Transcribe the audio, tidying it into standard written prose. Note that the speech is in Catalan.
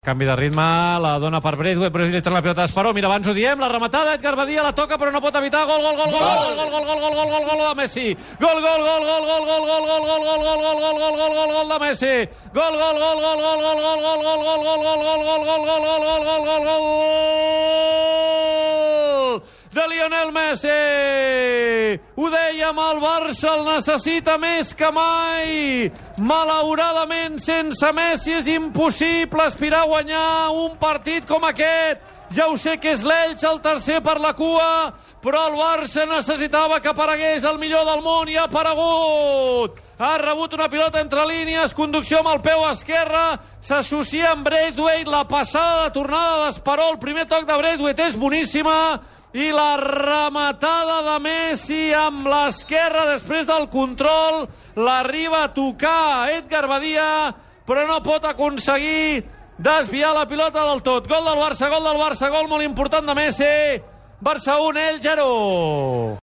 Canvi de ritme, la dona per Braithwaite, però li torna la pilota d'Esperó, mira, abans ho diem, la rematada, Edgar Badia la toca però no pot evitar, gol de Messi, gol de Messi, gol de Lionel Messi. Ho dèiem, el Barça el necessita més que mai. Malauradament, sense Messi és impossible aspirar a guanyar un partit com aquest. Ja ho sé que és l'Elx el tercer per la cua, però el Barça necessitava que aparegués el millor del món i ha aparegut. Ha rebut una pilota entre línies, conducció amb el peu esquerre, s'associa amb Braithwaite, la passada de tornada d'Esperó, el primer toc de Braithwaite és boníssima, i la rematada de Messi amb l'esquerra després del control l'arriba a tocar Edgar Badia, però no pot aconseguir desviar la pilota del tot. Gol del Barça, gol molt important de Messi. Barça 1, Elx 0.